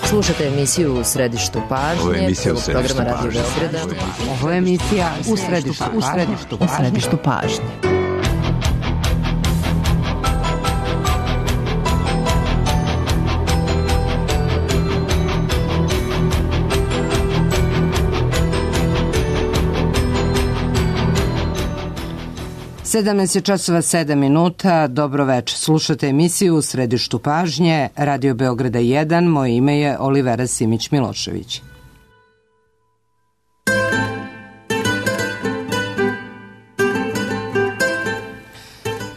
Slušate emisiju U središtu pažnje. Ovo je emisija U središtu programa Radio Beograda. Ovo je emisija U središtu pažnje. Sedamnaest časova 7 minuta. Dobro večer. Slušate emisiju U središtu pažnje, Radio Beograda 1. Moje ime je Olivera Simić-Milošević.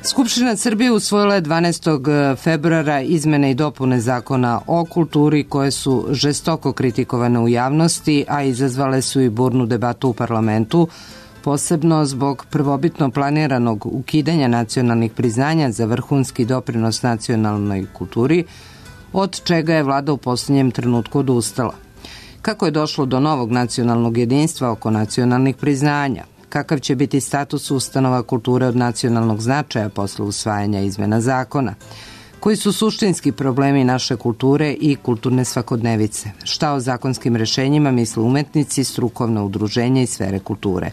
Skupština Srbije usvojila je 12. februara izmene i dopune Zakona o kulturi koje su žestoko kritikovane u javnosti, a izazvale su i burnu debatu u parlamentu, posebno zbog prvobitno planiranog ukidanja nacionalnih priznanja za vrhunski doprinos nacionalnoj kulturi, od čega je vlada u posljednjem trenutku odustala. Kako je došlo do novog nacionalnog jedinstva oko nacionalnih priznanja? Kakav će biti status ustanova kulture od nacionalnog značaja posle usvajanja izmena zakona? Koji su suštinski problemi naše kulture i kulturne svakodnevice? Šta o zakonskim rešenjima misle umetnici, strukovna udruženja i sfere kulture?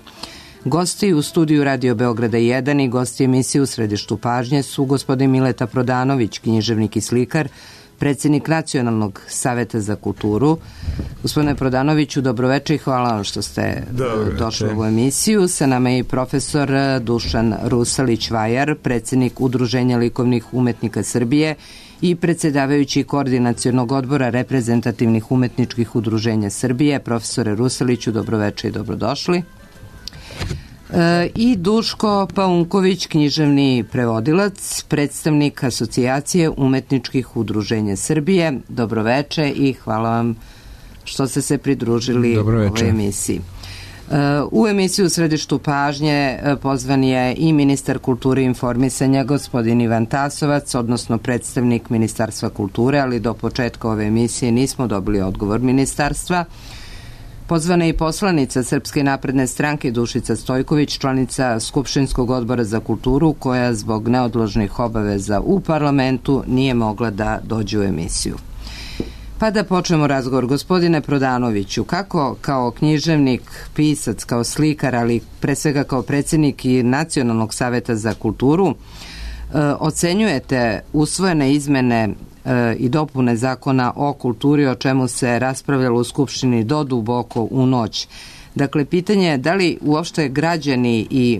Gosti u studiju Radio Beograda 1 i gosti emisije U središtu pažnje su gospodin Mileta Prodanović, književnik i slikar, predsjednik Nacionalnog saveta za kulturu. Gospodine Prodanoviću, dobroveče i hvala vam što ste došli u ovu emisiju. Sa nama je i profesor Dušan Rusalić-Vajar, predsjednik Udruženja likovnih umetnika Srbije i predsjedavajući Koordinacionog odbora reprezentativnih umetničkih udruženja Srbije. Profesore Rusaliću, dobroveče i dobrodošli. I Duško Paunković, književni prevodilac, predstavnik Asocijacije umetničkih udruženja Srbije. Dobroveče i hvala vam što ste se pridružili ovoj emisiji. U emisiju U središtu pažnje pozvan je i ministar kulture i informisanja gospodin Ivan Tasovac, odnosno predstavnik Ministarstva kulture, ali do početka ove emisije nismo dobili odgovor ministarstva. Pozvana je i poslanica Srpske napredne stranke Dušica Stojković, članica Skupštinskog odbora za kulturu, koja zbog neodložnih obaveza u parlamentu nije mogla da dođe u emisiju. Pa da počnemo razgovor. Gospodine Prodanoviću, kako kao književnik, pisac, kao slikar, ali pre svega kao predsjednik i Nacionalnog saveta za kulturu, ocenjujete usvojene izmene i dopune Zakona o kulturi, o čemu se raspravljalo u Skupštini do duboko u noć? Dakle, pitanje je da li uopšte građani i,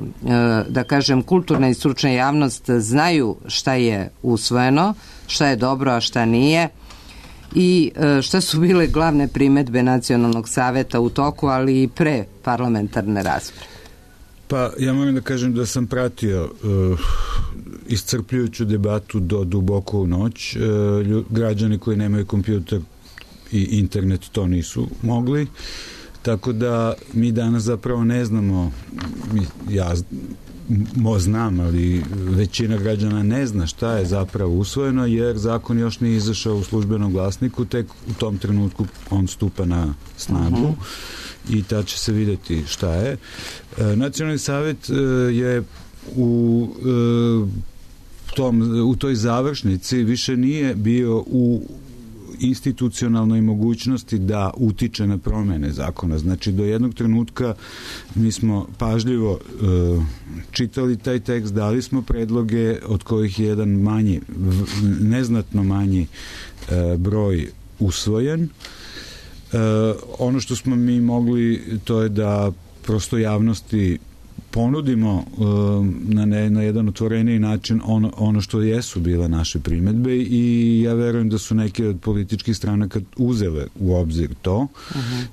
da kažem, kulturna i stručna javnost znaju šta je usvojeno, šta je dobro, a šta nije, i šta su bile glavne primedbe Nacionalnog saveta u toku, ali i pre parlamentarne rasprave? Pa ja moram da kažem da sam pratio iscrpljujuću debatu do duboko u noć. Građani koji nemaju kompjuter i internet to nisu mogli, tako da mi danas zapravo ne znamo, ja znam, ali većina građana ne zna šta je zapravo usvojeno, jer zakon još nije izašao u službenom glasniku, tek u tom trenutku on stupa na snagu i tad će se vidjeti šta je. Nacionalni savjet je u toj završnici više nije bio u institucionalnoj mogućnosti da utiče na promjene zakona. Znači, do jednog trenutka mi smo pažljivo čitali taj tekst, dali smo predloge, od kojih je jedan manji, neznatno manji broj usvojen. Ono što smo mi mogli, to je da prosto javnosti ponudimo na jedan otvoreniji način ono što jesu bile naše primedbe, i ja verujem da su neke od političkih stranaka uzele u obzir to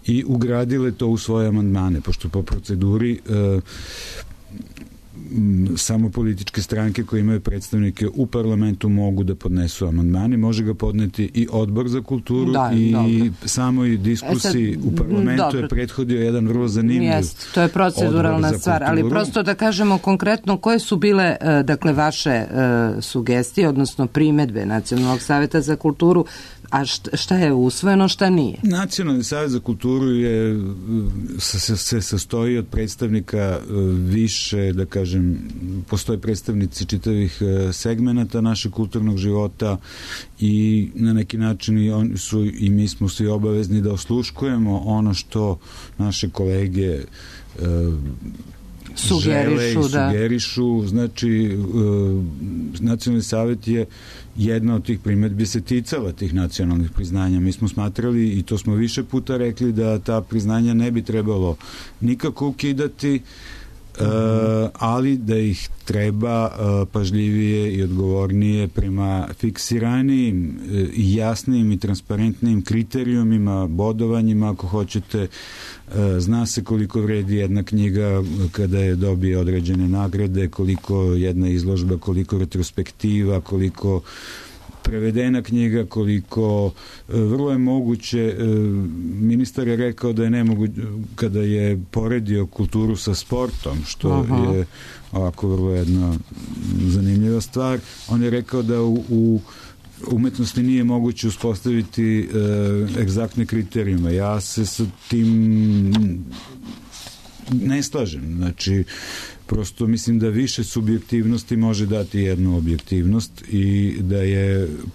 i ugradile to u svoje amandmane, pošto po proceduri samo političke stranke koje imaju predstavnike u parlamentu mogu da podnesu amandmane. Može ga podneti i odbor za kulturu i samoj diskusiji u parlamentu je prethodio jedan vrlo zanimljiv to je proceduralna stvar, ali prosto da kažemo konkretno koje su bile vaše sugestije, odnosno primedbe Nacionalnog saveta za kulturu A šta je usvojeno, šta nije? Nacionalni savjet za kulturu se sastoji od predstavnika više, da kažem, postoje predstavnici čitavih segmenata našeg kulturnog života i na neki način i mi smo svi obavezni da osluškujemo ono što naše kolege sugerišu. Znači, Nacionalni savjet je jedna od tih primedbi se ticala tih nacionalnih priznanja. Mi smo smatrali, i to smo više puta rekli, da ta priznanja ne bi trebalo nikako ukidati, ali da ih treba pažljivije i odgovornije prema fiksiranijim i jasnijim i transparentnijim kriterijumima, bodovanjima, ako hoćete. Zna se koliko vredi jedna knjiga kada je dobije određene nagrade, koliko jedna izložba, koliko retrospektiva, koliko prevedena knjiga, koliko vrlo je moguće. Ministar je rekao da je nemoguće, kada je poredio kulturu sa sportom, što je ovako vrlo jedna zanimljiva stvar. On je rekao da u umetnosti nije moguće uspostaviti egzaktne kriterijume. Ja se sa tim ne slažem. Znači, prosto mislim da više subjektivnosti može dati jednu objektivnost i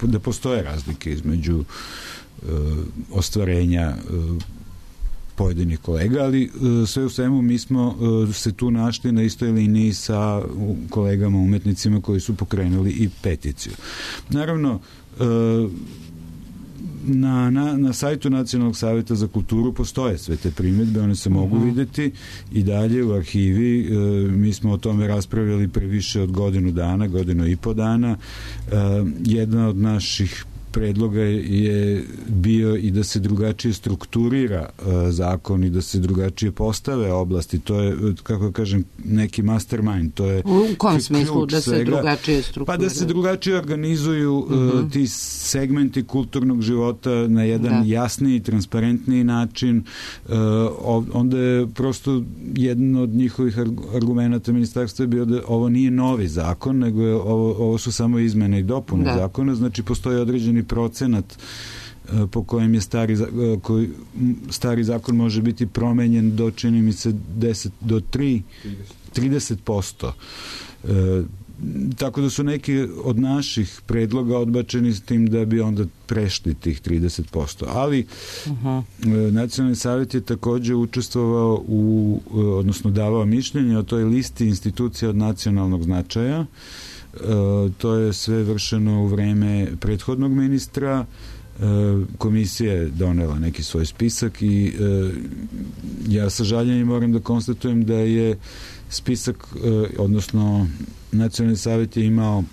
da postoje razlike između ostvarenja pojedinih kolega, ali sve u svemu mi smo se tu našli na istoj liniji sa kolegama umetnicima koji su pokrenuli i peticiju. Naravno, na sajtu Nacionalnog savjeta za kulturu postoje sve te primjedbe, one se mogu videti i dalje u arhivi. Mi smo o tome raspravljali pre više od godinu i po dana. Jedna od naših predloga je bio i da se drugačije strukturira zakon i da se drugačije postave oblasti. To je, kako kažem, neki mastermind. To je u kom smislu da se drugačije strukturira? Pa da se drugačije organizuju ti segmenti kulturnog života na jedan jasniji, transparentniji način. Onda je prosto jedan od njihovih argumenta ministarstva je bio da ovo nije novi zakon, nego je ovo su samo izmene i dopune zakona. Znači, postoji određeni procenat po kojem je stari zakon može biti promenjen do, čini mi se, 30%. Tako da su neki od naših predloga odbačeni s tim da bi onda prešli tih 30%. Ali Nacionalni savjet je takođe učestvovao odnosno davao mišljenje o toj listi institucija od nacionalnog značaja. To je sve vršeno u vreme prethodnog ministra. Komisija je donela neki svoj spisak i ja sa žaljenjem moram da konstatujem da je spisak, odnosno Nacionalni savjet je imao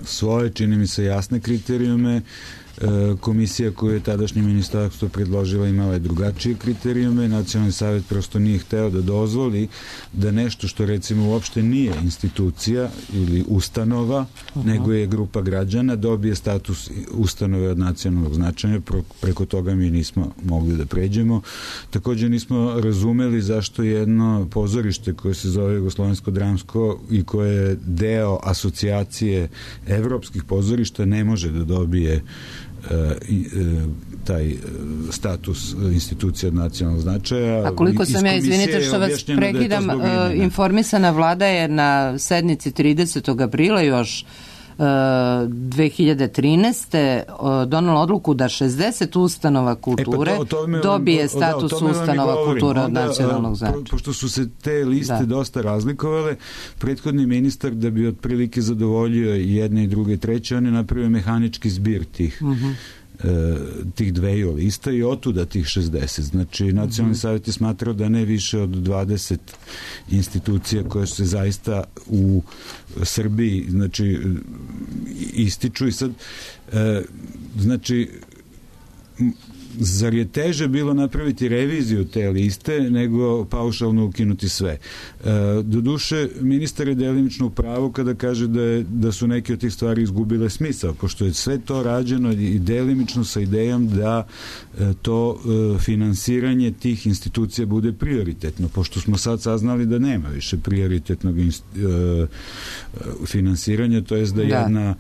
svoje, čini mi se, jasne kriterijume. Komisija koju je tadašnje ministarstvo predložila imala je drugačije kriterijume. Nacionalni savjet prosto nije hteo da dozvoli da nešto što recimo uopšte nije institucija ili ustanova, nego je grupa građana, dobije status ustanove od nacionalnog značaja. Preko toga mi nismo mogli da pređemo. Također nismo razumeli zašto jedno pozorište koje se zove Jugoslovensko-dramsko i koje je deo asocijacije evropskih pozorišta ne može da dobije taj status institucije od nacionalnog značaja. A koliko sam ja, izvinite što vas prekidam, informisana vlada je na sednici 30. aprila još 2013. donala odluku da 60 ustanova kulture dobije status ustanova kulture od nacionalnog značaja. Pošto su se te liste dosta razlikovale, prethodni ministar, da bi otprilike zadovoljio jedne i druge i treće, on je napravio mehanički zbir tih dveju lista i otuda tih 60. Znači, Nacionalni savjet je smatrao da ne više od 20 institucija koje se zaista u Srbiji, znači, ističu i sad, znači, zar je teže bilo napraviti reviziju te liste nego paušalno ukinuti sve? Doduše, ministar je delimično u pravu kada kaže da su neke od tih stvari izgubile smisao, pošto je sve to rađeno i delimično sa idejom da to finansiranje tih institucija bude prioritetno, pošto smo sad saznali da nema više prioritetnog finansiranja, to jest da jedna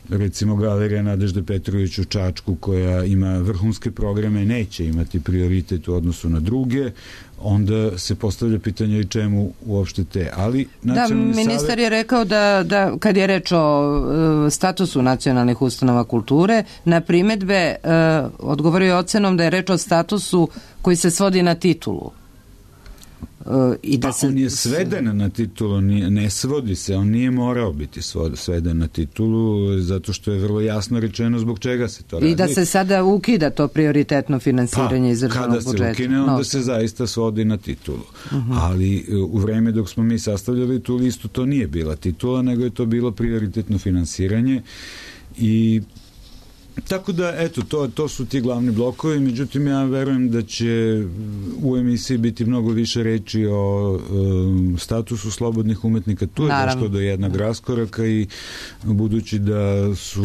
recimo Galerija Nadežde Petrović u Čačku koja ima vrhunske programe neće imati prioritet u odnosu na druge, onda se postavlja pitanje i čemu uopšte te. Ali ministar je rekao da kad je reč o statusu nacionalnih ustanova kulture, na primedbe odgovorio je ocenom da je reč o statusu koji se svodi na titulu. On je sveden na titulu, ne svodi se, on nije morao biti sveden na titulu, zato što je vrlo jasno rečeno zbog čega se to radi. I da se sada ukida to prioritetno finansiranje iz državnog budžeta. Kada se ukine, onda se zaista svodi na titulu. Ali u vreme dok smo mi sastavljali tu listu, to nije bila titula, nego je to bilo prioritetno finansiranje i tako da, eto, to su ti glavni blokovi, međutim ja verujem da će u emisiji biti mnogo više reči o statusu slobodnih umetnika. Tu je došlo do jednog raskoraka i budući da su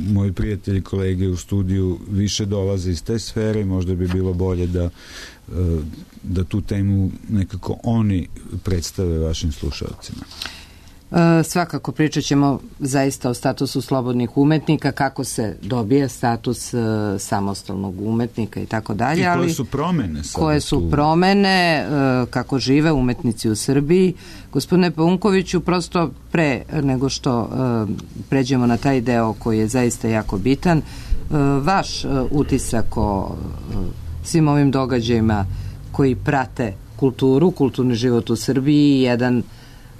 moji prijatelji, kolege u studiju više dolaze iz te sfere, možda bi bilo bolje da tu temu nekako oni predstave vašim slušalcima. Svakako pričat ćemo zaista o statusu slobodnih umetnika, kako se dobije status samostalnog umetnika i tako dalje. I koje su promene sada? Koje su promene, kako žive umetnici u Srbiji. Gospodine Paunkoviću, prosto pre nego što pređemo na taj deo koji je zaista jako bitan, vaš utisak o svim ovim događajima koji prate kulturu, kulturni život u Srbiji i jedan,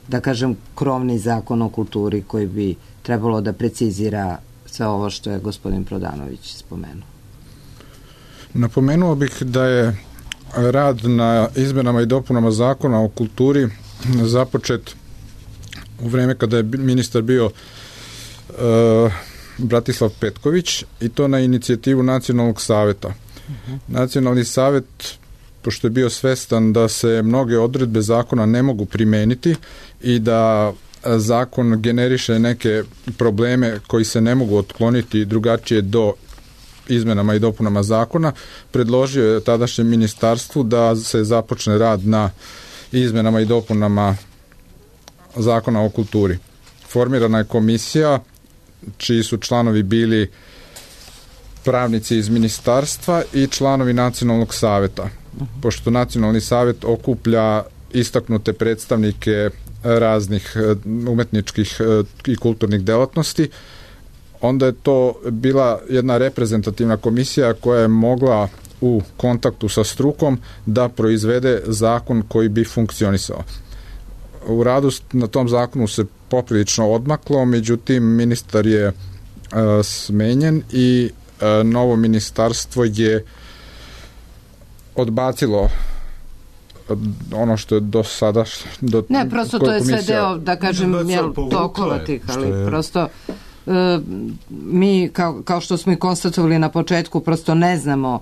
da kažem, krovni zakon o kulturi koji bi trebalo da precizira sve ovo što je gospodin Prodanović spomenuo. Napomenuo bih da je rad na izmenama i dopunama zakona o kulturi započet u vreme kada je ministar bio Bratislav Petković i to na inicijativu Nacionalnog saveta. Nacionalni savet, pošto je bio svestan da se mnoge odredbe zakona ne mogu primeniti i da zakon generiše neke probleme koji se ne mogu otkloniti drugačije do izmenama i dopunama zakona, predložio je tadašnjem ministarstvu da se započne rad na izmenama i dopunama zakona o kulturi. Formirana je komisija čiji su članovi bili pravnici iz ministarstva i članovi Nacionalnog saveta. Pošto Nacionalni savet okuplja istaknute predstavnike raznih umetničkih i kulturnih delatnosti, onda je to bila jedna reprezentativna komisija koja je mogla u kontaktu sa strukom da proizvede zakon koji bi funkcionisao. U radu na tom zakonu se poprilično odmaklo, međutim ministar je smenjen i novo ministarstvo je odbacilo ono što je do sada ne, prosto to je sve deo, da kažem, tokova tih, ali prosto mi, kao što smo i konstatovali na početku, prosto ne znamo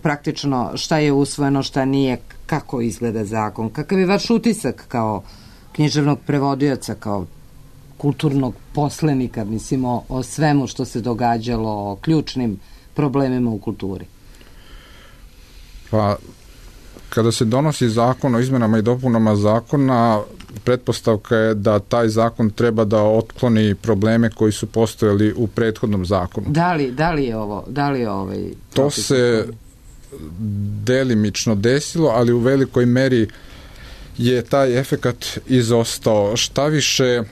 praktično šta je usvojeno, šta nije, kako izgleda zakon. Kakav je vaš utisak kao književnog prevodioca, kao kulturnog poslenika, mislim, o svemu što se događalo, o ključnim problemima u kulturi? Pa, kada se donosi zakon o izmenama i dopunama zakona, pretpostavka je da taj zakon treba da otkloni probleme koji su postojali u prethodnom zakonu. Da li je ovaj... To se delimično desilo, ali u velikoj meri je taj efekat izostao. Šta više,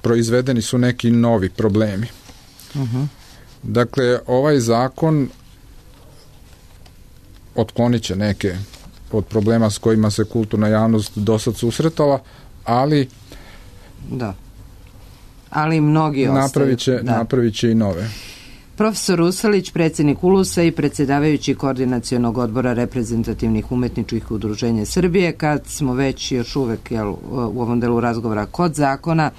proizvedeni su neki novi problemi. Dakle, ovaj zakon otklonit će neke od problema s kojima se kulturna javnost dosad susretala, ali mnogi ostaju. Napravit će i nove. Profesor Usalić, predsjednik ULUS-a i predsjedavajući koordinacionog odbora reprezentativnih umetničkih udruženja Srbije, kad smo već još uvek u ovom delu razgovora kod zakona,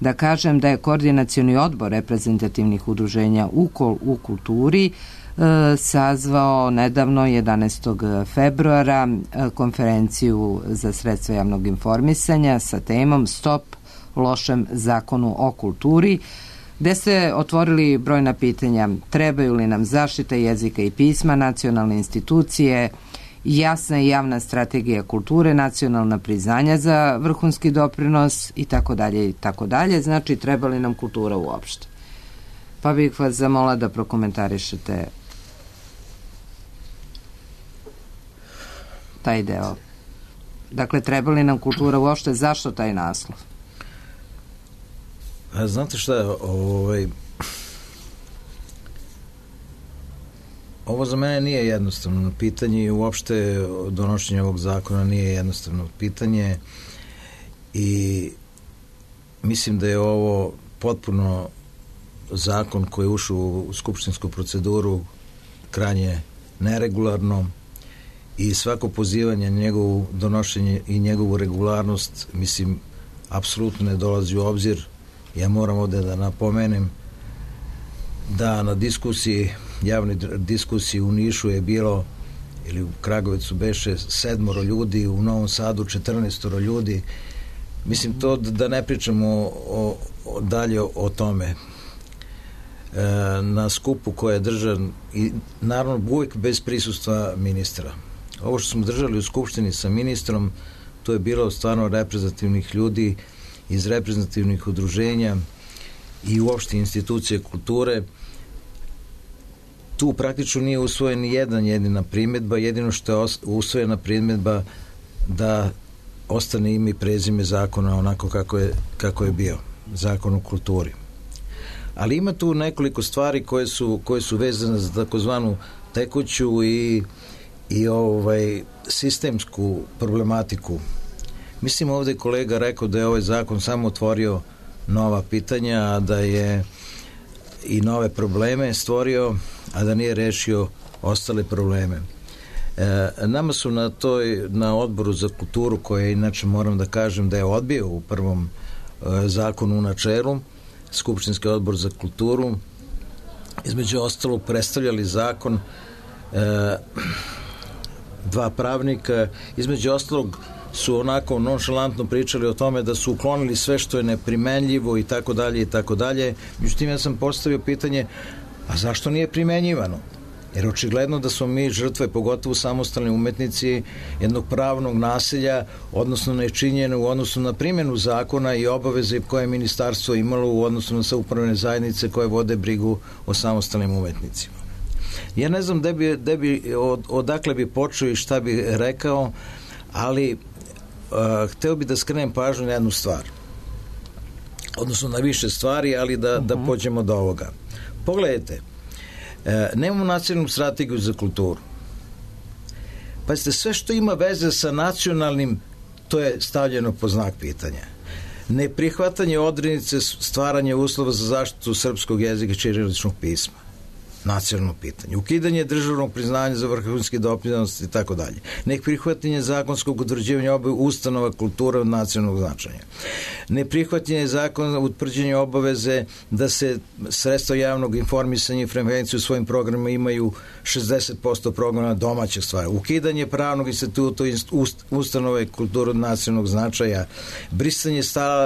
da kažem da je koordinacioni odbor reprezentativnih udruženja u kulturi sazvao nedavno 11. februara konferenciju za sredstva javnog informisanja sa temom Stop lošem zakonu o kulturi, gde ste otvorili brojna pitanja. Trebaju li nam zaštita jezika i pisma, nacionalne institucije, jasna i javna strategija kulture, nacionalna priznanja za vrhunski doprinos i tako dalje i tako dalje. Znači, treba li nam kultura uopšte? Pa bih vas zamola da prokomentarišete taj deo. Dakle, treba li nam kultura uopšte? Zašto taj naslov? Znate šta, ovo za mene nije jednostavno pitanje i uopšte donošenje ovog zakona nije jednostavno pitanje i mislim da je ovo potpuno zakon koji je ušao u skupštinsku proceduru krajnje neregularno i svako pozivanje na njegovu donošenje i njegovu regularnost, mislim, apsolutno ne dolazi u obzir. Ja moram ovde da napomenem da na diskusiji, javnoj diskusiji u Nišu je bilo, ili u Kragovicu beše 7 ljudi, u Novom Sadu 14 ljudi. Mislim, to da ne pričamo dalje o tome. Na skupu koje je držan i naravno uvijek bez prisustva ministra. Ovo što smo držali u skupštini sa ministrom, to je bilo stvarno reprezentativnih ljudi iz reprezentativnih udruženja i uopšte institucije kulture. Tu praktično nije usvojen ni jedina primjedba, jedino što je usvojena primjedba da ostane ime i prezime zakona onako kako je bio, zakon o kulturi. Ali ima tu nekoliko stvari koje su vezane za takozvanu tekuću i sistemsku problematiku. Mislim, ovdje kolega rekao da je ovaj zakon samo otvorio nova pitanja, a da je i nove probleme stvorio, a da nije rešio ostale probleme. Nama su na odboru za kulturu, koje inače moram da kažem da je odbio u prvom zakonu u načelu, Skupštinski odbor za kulturu, između ostalog predstavljali zakon dva pravnika, između ostalog su onako nonšalantno pričali o tome da su uklonili sve što je neprimenljivo i tako dalje i tako dalje. Međutim, ja sam postavio pitanje, a zašto nije primenjivano? Jer očigledno da smo mi žrtve, pogotovo samostalni umetnici, jednog pravnog nasilja, odnosno nečinjene u odnosu na primjenu zakona i obaveze koje je ministarstvo imalo u odnosu na samoupravne zajednice koje vode brigu o samostalnim umetnicima. Ja ne znam odakle bi počeo i šta bi rekao, ali hteo bi da skrenem pažnju na jednu stvar. Odnosno na više stvari, ali da pođemo do ovoga. Pogledajte, nemamo nacionalnu strategiju za kulturu. Pazite, sve što ima veze sa nacionalnim, to je stavljeno pod znak pitanja. Neprihvatanje odrednice stvaranja uslova za zaštitu srpskog jezika i ćiriličnog pisma. Nacionalno pitanje. Ukidanje državnog priznanja za vrhunski doprinos i tako dalje. Neprihvatanje zakonskog utvrđivanja ustanova kulture od nacionalnog značaja. Neprihvatanje zakona utvrđenja obaveze da se sredstva javnog informisanja i frekvenciju u svojim programima imaju 60% programa domaćeg stvari. Ukidanje pravnog instituta ustanove kulture od nacionalnog značaja. Brisanje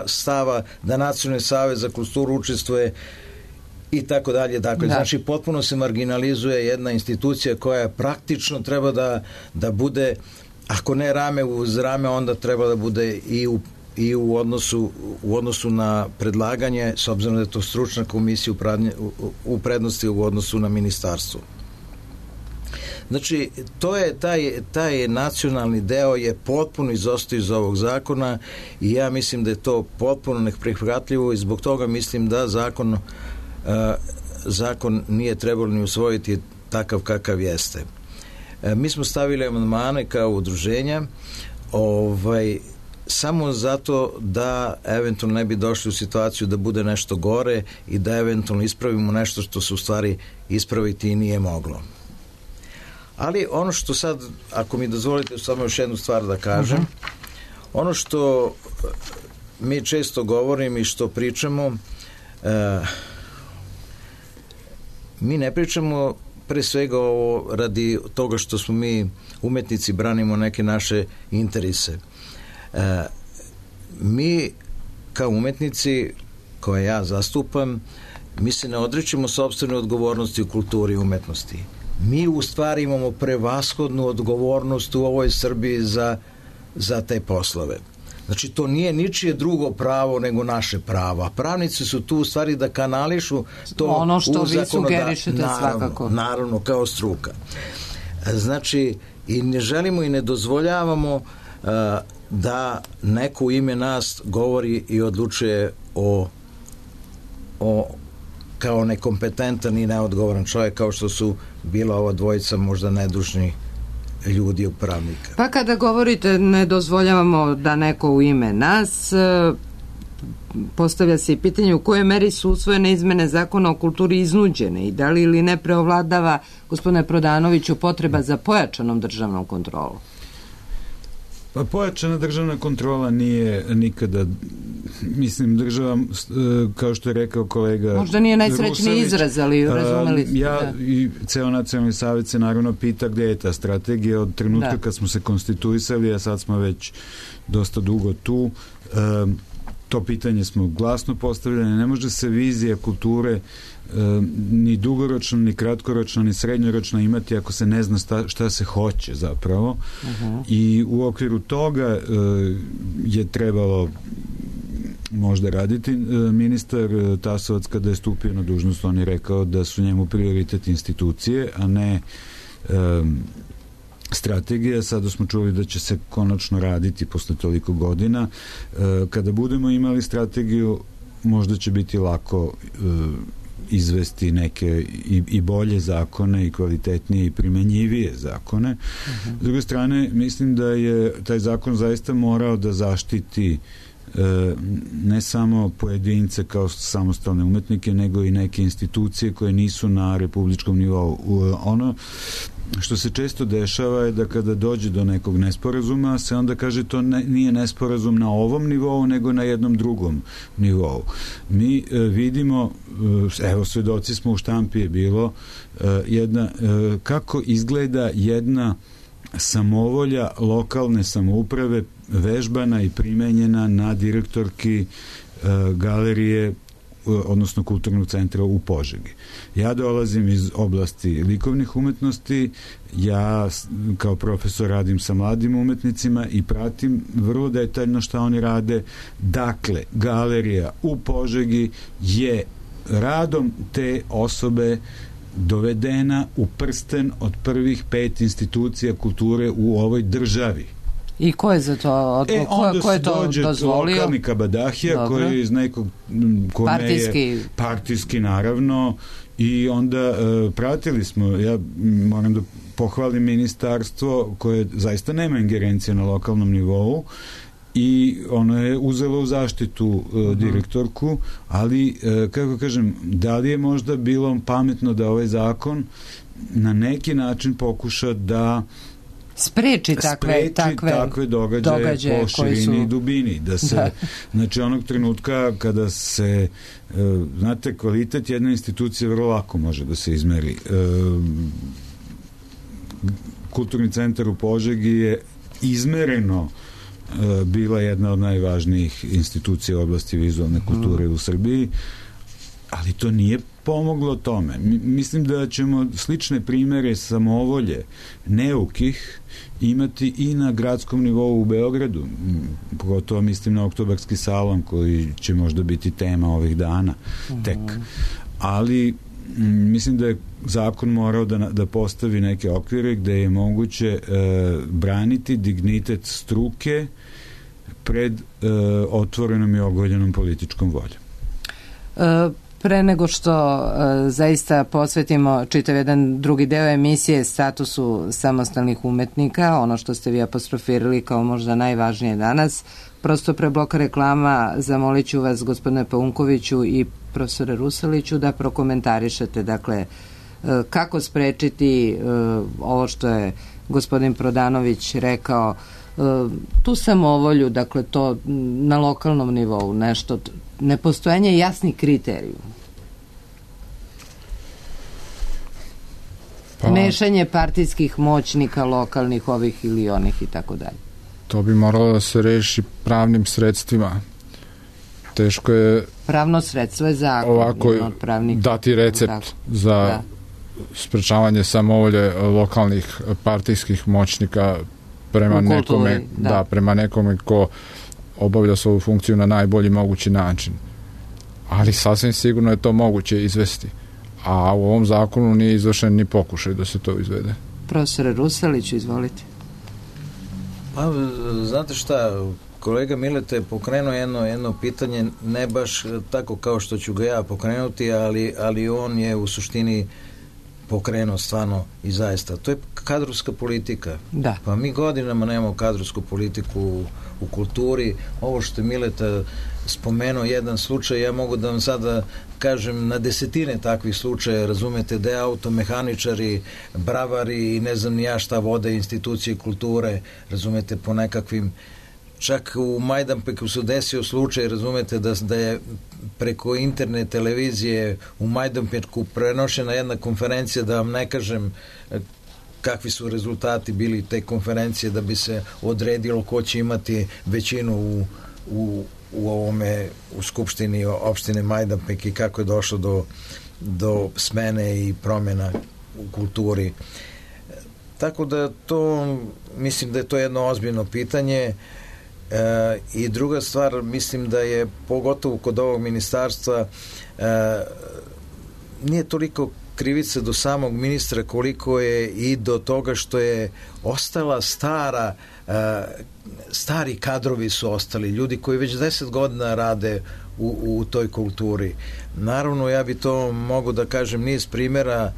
stava da Nacionalni savet za kulturu učestvuje i tako dalje. Dakle, znači, potpuno se marginalizuje jedna institucija koja praktično treba da bude, ako ne rame uz rame, onda treba da bude i u odnosu na predlaganje, s obzirom da je to stručna komisija u prednosti u odnosu na ministarstvo. Znači, to je taj nacionalni deo je potpuno izostao iz ovog zakona i ja mislim da je to potpuno neprihvatljivo i zbog toga mislim da zakon nije trebalo ni usvojiti takav kakav jeste. Mi smo stavili amandmane kao udruženja samo zato da eventualno ne bi došli u situaciju da bude nešto gore i da eventualno ispravimo nešto što se u stvari ispraviti i nije moglo. Ali ono što sad, ako mi dozvolite samo još jednu stvar da kažem, ono što mi često govorim i što pričamo, mi ne pričamo pre svega ovo radi toga što smo mi umetnici, branimo neke naše interese. Mi kao umetnici koje ja zastupam, mi se ne odričemo sopstvene odgovornosti u kulturi i umetnosti. Mi u stvari imamo prevashodnu odgovornost u ovoj Srbiji za te poslove. Znači, to nije ničije drugo pravo nego naše pravo. A pravnici su tu u stvari da kanališu to ono što u vi sugerišete svakako. Naravno, kao struka. Znači, i ne želimo i ne dozvoljavamo da neko u ime nas govori i odlučuje o kao nekompetentan i neodgovoran čovjek, kao što su bila ova dvojica možda nedužni ljudi upravnika. Pa kada govorite ne dozvoljavamo da neko u ime nas, postavlja se i pitanje u kojoj meri su usvojene izmene zakona o kulturi iznuđene i da li ili ne preovladava, gospodine Prodanoviću, potreba za pojačanom državnom kontrolom? Pa pojačana državna kontrola nije nikada, mislim, država, kao što je rekao kolega možda nije najsrećniji Rusović, izraz, ali razumeli ste. I ceo nacionalni savjet se naravno pita gde je ta strategija od trenutka kad smo se konstituisali, a sad smo već dosta dugo tu. To pitanje smo glasno postavljali. Ne može se vizija kulture ni dugoročno, ni kratkoročno, ni srednjoročno imati ako se ne zna šta se hoće zapravo. I u okviru toga je trebalo možda raditi. Ministar Tasovac kada je stupio na dužnost, on je rekao da su njemu prioritet institucije, a ne strategija. Sada smo čuli da će se konačno raditi posle toliko godina. Kada budemo imali strategiju, možda će biti lako izvesti neke i bolje zakone i kvalitetnije i primenjivije zakone. S druge strane, mislim da je taj zakon zaista morao da zaštiti ne samo pojedince kao samostalne umetnike, nego i neke institucije koje nisu na republičkom nivou. Ono što se često dešava je da kada dođe do nekog nesporazuma se onda kaže to nije nesporazum na ovom nivou nego na jednom drugom nivou. Mi vidimo, evo svedoci smo, u štampi je bilo kako izgleda jedna samovolja lokalne samouprave vežbana i primenjena na direktorki galerije, odnosno kulturnog centra u Požegi. Ja dolazim iz oblasti likovnih umetnosti, ja kao profesor radim sa mladim umetnicima i pratim vrlo detaljno šta oni rade. Dakle, galerija u Požegi je radom te osobe dovedena u prsten od prvih 5 institucija kulture u ovoj državi. I ko je za to ko je to dozvolio? Lokalni kabadahija koji je iz nekog partijski naravno, i onda pratili smo, ja moram da pohvalim ministarstvo koje zaista nema ingerencije na lokalnom nivou i ono je uzelo u zaštitu direktorku, ali kako kažem, da li je možda bilo pametno da ovaj zakon na neki način pokuša da spreči takve događaje po širini i dubini, da se znači onog trenutka kada se znate, kvalitet jedne institucije vrlo lako može da se izmeri. Kulturni centar u Požegi je izmereno bila jedna od najvažnijih institucija u oblasti vizualne kulture u Srbiji, ali to nije pomoglo tome. Mislim da ćemo slične primere samovolje neukih imati i na gradskom nivou u Beogradu. Pogotovo mislim na Oktobarski salon koji će možda biti tema ovih dana tek. Ali mislim da je zakon morao da postavi neke okvire gde je moguće braniti dignitet struke pred otvorenom i ogoljenom političkom voljom. Pre nego što zaista posvetimo čitav jedan drugi deo emisije statusu samostalnih umetnika, ono što ste vi apostrofirali kao možda najvažnije danas, prosto pre bloka reklama zamolit ću vas, gospodine Paunkoviću i profesore Rusaliću, da prokomentarišete, dakle, kako sprečiti ovo što je gospodin Prodanović rekao, tu samovolju, dakle, to na lokalnom nivou, nešto, nepostojanje jasnih kriterijuma. Mešanje partijskih moćnika, lokalnih, ovih ili onih i tako dalje. To bi moralo da se reši pravnim sredstvima. Teško je... Pravno sredstvo je zakon. Ovako dati recept za sprečavanje samovolje lokalnih partijskih moćnika prema nekome, prema nekome ko obavlja svoju funkciju na najbolji mogući način. Ali sasvim sigurno je to moguće izvesti. A u ovom zakonu nije izvršen ni pokušaj da se to izvede. Profesore Rusaliću, izvolite. Pa, znate šta, kolega Mileta je pokrenuo jedno pitanje, ne baš tako kao što ću ga ja pokrenuti, ali on je u suštini pokrenuo stvarno i zaista. To je kadrovska politika. Da. Pa mi godinama nemamo kadrovsku politiku u kulturi. Ovo što je Mileta spomenuo jedan slučaj, ja mogu da vam sada kažem na desetine takvih slučaja, razumete, da je automehaničari, bravari i ne znam ni ja šta vode institucije kulture, razumete, po nekakvim, čak u Majdanpeku se desio slučaj, razumete, da je preko interne televizije u Majdanpeku prenošena jedna konferencija, da vam ne kažem kakvi su rezultati bili te konferencije, da bi se odredilo ko će imati većinu u skupštini opštine Majdanpek i kako je došlo do smene i promjena u kulturi. Tako da to, mislim da je to jedno ozbiljno pitanje. I druga stvar, mislim da je pogotovo kod ovog ministarstva nije toliko krivica do samog ministra koliko je i do toga što je ostala stari kadrovi su ostali, ljudi koji već 10 godina rade u toj kulturi. Naravno, ja bi to mogu da kažem niz primjera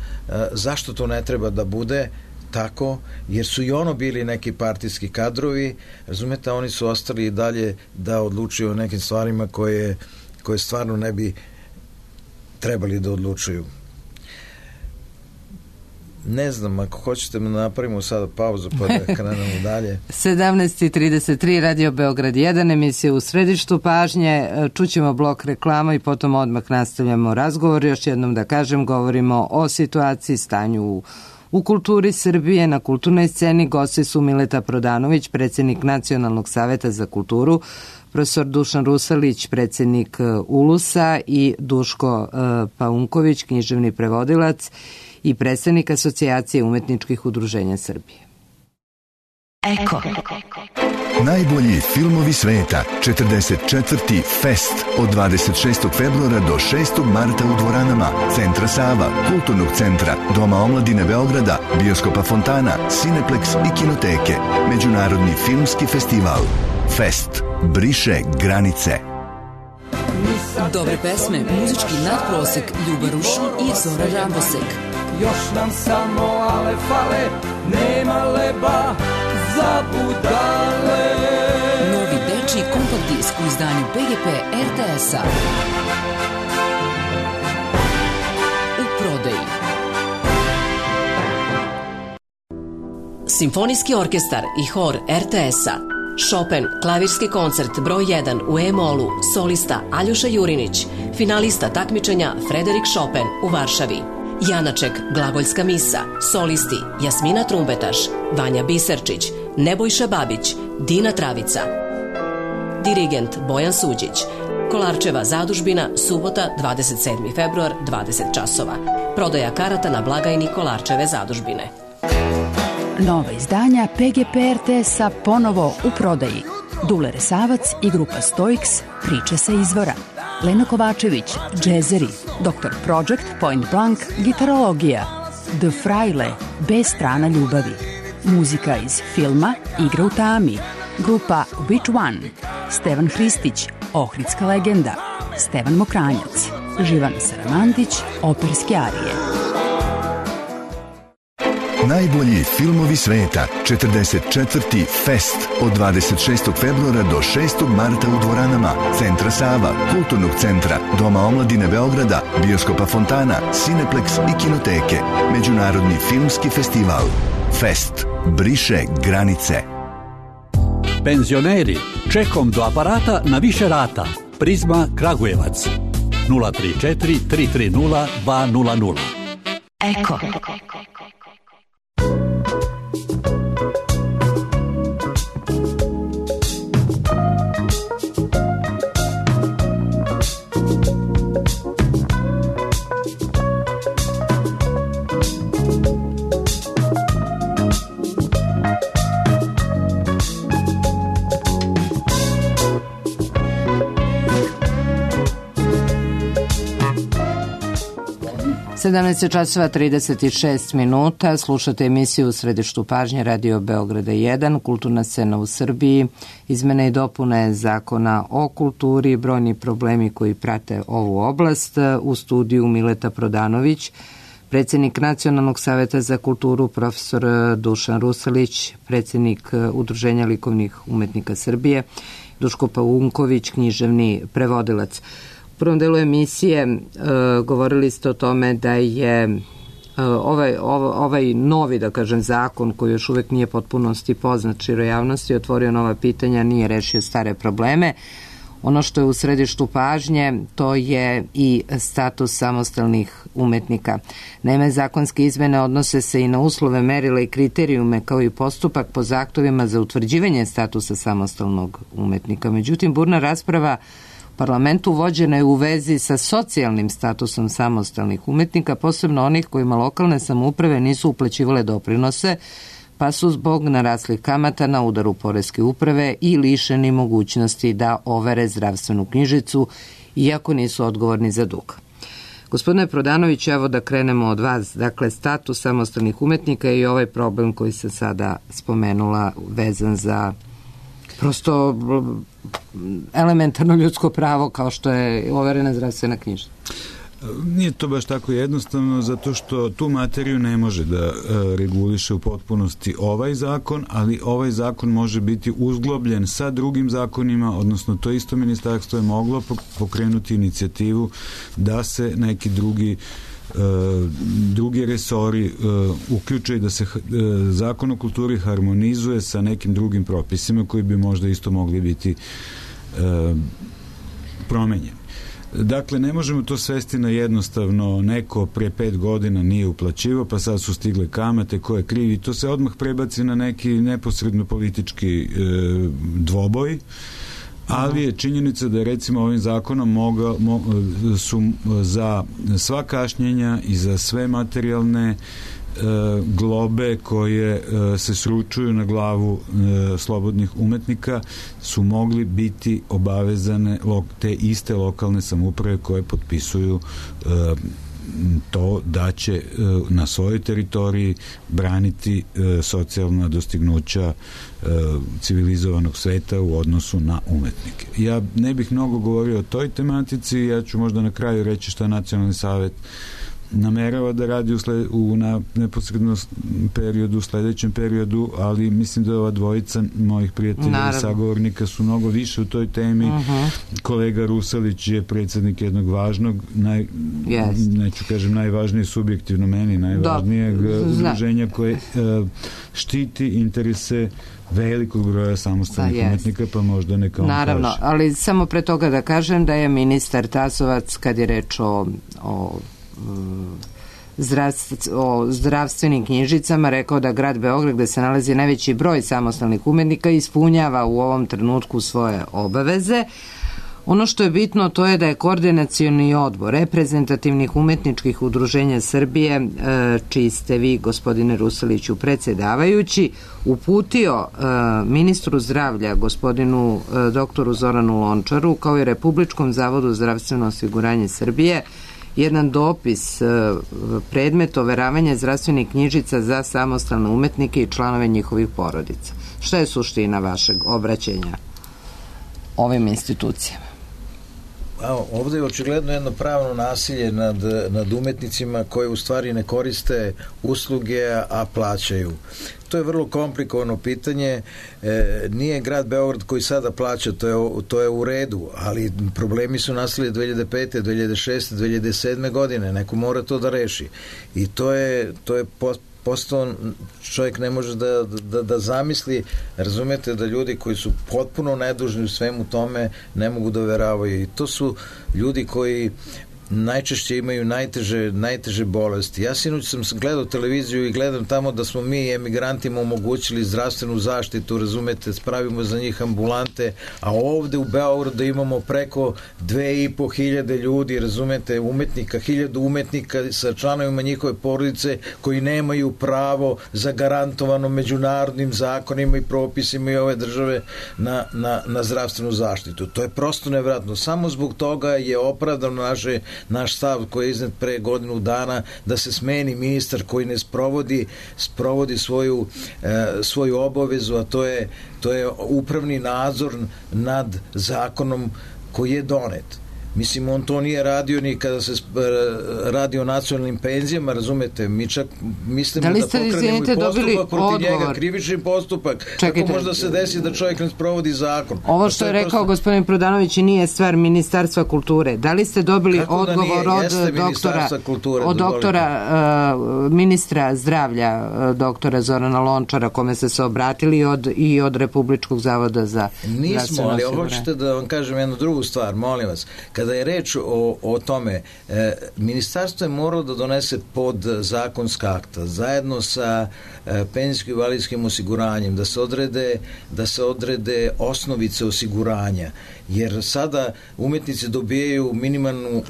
zašto to ne treba da bude tako, jer su i ono bili neki partijski kadrovi, razumete, oni su ostali i dalje da odlučuju o nekim stvarima koje stvarno ne bi trebali da odlučuju. Ne znam, ako hoćete da napravimo sada pauzu pa da krenemo dalje. 17:33, Radio Beograd 1, emisija U središtu pažnje. Čućemo blok reklama i potom odmah nastavljamo razgovor. Još jednom da kažem, govorimo o situaciji, stanju u kulturi Srbije, na kulturnoj sceni. Gosti su Mileta Prodanović, predsjednik Nacionalnog saveta za kulturu, profesor Dušan Rusalić, predsjednik ULUS-a i Duško Paunković, književni prevodilac i predstavnik Asocijacije umetničkih udruženja Srbije. Eko. Najbolji filmovi sveta, 44. Fest od 26. februara do 6. marta u dvoranama Centra Sava, Kulturnog centra, Doma omladine Beograda, Bioskopa Fontana, Cineplex i Kinoteke. Međunarodni filmski festival. Fest briše granice. Dobre pesme, muzički nadprosek, Ljuba Rušan i Zora Rambosek. Još nam samo ale fale, nema leba za budale. Novi dečiji kompakt disk u izdanju PGP RTS-a. U prodaji. Simfonijski orkestar i hor RTS-a. Chopin, klavirski koncert broj 1 u E-molu, solista Aljoša Jurinić, finalista takmičenja Frederik Chopin u Varšavi. Janaček, glagoljska misa, solisti Jasmina Trumbetaš, Vanja Biserčić, Nebojša Babić, Dina Travica. Dirigent Bojan Suđić. Kolarčeva zadužbina, subota 27. februar, 20 časova. Prodaja karata na blagajni Kolarčeve zadužbine. Nova izdanja PGP RTS-a ponovo u prodaji. Dule Resavac i grupa Stoiks, priče sa izvora. Lena Kovačević, džezeri. Dr. Project, Point Blank, gitarologija. The Fraile, B strana ljubavi. Muzika iz filma Igra u tami. Grupa Which One. Stevan Hristić, Ohridska legenda. Stevan Mokranjac. Živana Saramandić, operske arije. Najbolji filmovi sveta, 44. Fest od 26. februara do 6. marta u dvoranama Centra Sava, Kulturnog centra, Doma omladine Beograda, Bioskopa Fontana, Cineplex i Kinoteke. Međunarodni filmski festival. Fest briše granice. Penzioneri, čekom do aparata na više rata. Prizma Kragujevac. 034 330 200. Eko. 17 časova 36 minuta, slušate emisiju u središtu pažnje Radio Beograda 1, kulturna scena u Srbiji, izmene i dopune zakona o kulturi, brojni problemi koji prate ovu oblast. U studiju Mileta Prodanović, predsjednik Nacionalnog saveta za kulturu profesor Dušan Rusalić, predsjednik Udruženja likovnih umetnika Srbije, Duško Paunković, književni prevodilac. U prvom delu emisije govorili ste o tome da je ovaj novi, da kažem, zakon koji još uvek nije potpunosti poznat široj javnosti, otvorio nova pitanja, nije rešio stare probleme. Ono što je u središtu pažnje, to je i status samostalnih umetnika. Naime, zakonske izmene odnose se i na uslove, merila i kriterijume, kao i postupak po zahtevima za utvrđivanje statusa samostalnog umetnika. Međutim, burna rasprava u parlamentu vođena je u vezi sa socijalnim statusom samostalnih umetnika, posebno onih kojima lokalne samouprave nisu uplaćivale doprinose, pa su zbog naraslih kamata na udaru poreske uprave i lišeni mogućnosti da overe zdravstvenu knjižicu, iako nisu odgovorni za dug. Gospodine Prodanović, evo da krenemo od vas. Dakle, status samostalnih umetnika i ovaj problem koji se sada spomenula vezan za prosto elementarno ljudsko pravo kao što je overena zdravstvena knjižica. Nije to baš tako jednostavno, zato što tu materiju ne može da reguliše u potpunosti ovaj zakon, ali ovaj zakon može biti uzglobljen sa drugim zakonima, odnosno to isto ministarstvo je moglo pokrenuti inicijativu da se neki drugi resori uključe i da se zakon o kulturi harmonizuje sa nekim drugim propisima koji bi možda isto mogli biti promenjeni. Dakle, ne možemo to svesti na jednostavno neko pre 5 godina nije uplaćivao, pa sad su stigle kamate, ko je kriv, i to se odmah prebaci na neki neposredno politički dvoboj, ali je činjenica da je recimo ovim zakonom su za sva kašnjenja i za sve materijalne globe koje se sručuju na glavu slobodnih umetnika su mogli biti obavezane te iste lokalne samouprave koje potpisuju to da će na svojoj teritoriji braniti socijalna dostignuća civilizovanog sveta u odnosu na umetnike. Ja ne bih mnogo govorio o toj tematici, ja ću možda na kraju reći šta Nacionalni savet namerava da radi u neposrednom periodu, u sledećem periodu, ali mislim da ova dvojica mojih prijatelja i sagovornika su mnogo više u toj temi. Kolega Rusalić je predsjednik jednog važnog, neću kažem najvažnije subjektivno meni, najvažnijeg udruženja koje štiti interese velikog broja samostalnih umetnika, pa možda neka on kaže. Naravno, ali samo pre toga da kažem da je ministar Tasovac, kad je reč o zdravstvenim knjižicama, rekao da grad Beograd, gde se nalazi najveći broj samostalnih umetnika, ispunjava u ovom trenutku svoje obaveze. Ono što je bitno, to je da je Koordinacioni odbor reprezentativnih umetničkih udruženja Srbije, čiji ste vi, gospodine Rusaliću, predsjedavajući, uputio ministru zdravlja, gospodinu doktoru Zoranu Lončaru, kao i Republičkom zavodu zdravstveno osiguranje Srbije, jedan dopis, predmet overavanja zdravstvenih knjižica za samostalne umetnike i članove njihovih porodica. Šta je suština vašeg obraćanja ovim institucijama? Ovdje je očigledno jedno pravno nasilje nad umetnicima koji u stvari ne koriste usluge, a plaćaju. To je vrlo komplikovano pitanje. Nije grad Beograd koji sada plaća, to je u redu, ali problemi su nastali 2005. 2006. 2007. godine. Neko mora to da reši. I to je postao, čovjek ne može da zamisli, razumete, da ljudi koji su potpuno nedužni u svemu tome ne mogu da veravaju. I to su ljudi koji najčešće imaju najteže bolesti. Ja sinoć sam gledao televiziju i gledam tamo da smo mi emigrantima omogućili zdravstvenu zaštitu, razumete, spravimo za njih ambulante, a ovde u Beogradu imamo preko 2500 ljudi, razumete, umetnika, 1000 umetnika sa članovima njihove porodice koji nemaju pravo zagarantovano međunarodnim zakonima i propisima i ove države na zdravstvenu zaštitu. To je prosto nevjerojatno. Samo zbog toga je opravdano naše naš stav koji je iznet pre godinu dana da se smeni ministar koji ne sprovodi svoju obavezu, a to je upravni nadzor nad zakonom koji je donet. Mislim, on to nije radio ni kada se radi o nacionalnim penzijama, razumete, mi čak mislimo da pokrenemo i postupak protiv njega, krivični postupak. Kako možda se desi da čovjek ne sprovodi zakon? Ovo što je rekao gospodin Prodanović nije stvar Ministarstva kulture. Da li ste dobili odgovor od doktora ministra zdravlja, doktora Zorana Lončara, kome ste se obratili i od Republičkog zavoda za zdravstveno osiguranje? Nismo, ali hoćete da vam kažem jednu drugu stvar, molim vas. Kada je reč o tome, ministarstvo je moralo da donese podzakonska akta zajedno sa penzijsko-invalidskim osiguranjem, da se odrede osnovice osiguranja, jer sada umetnici dobijaju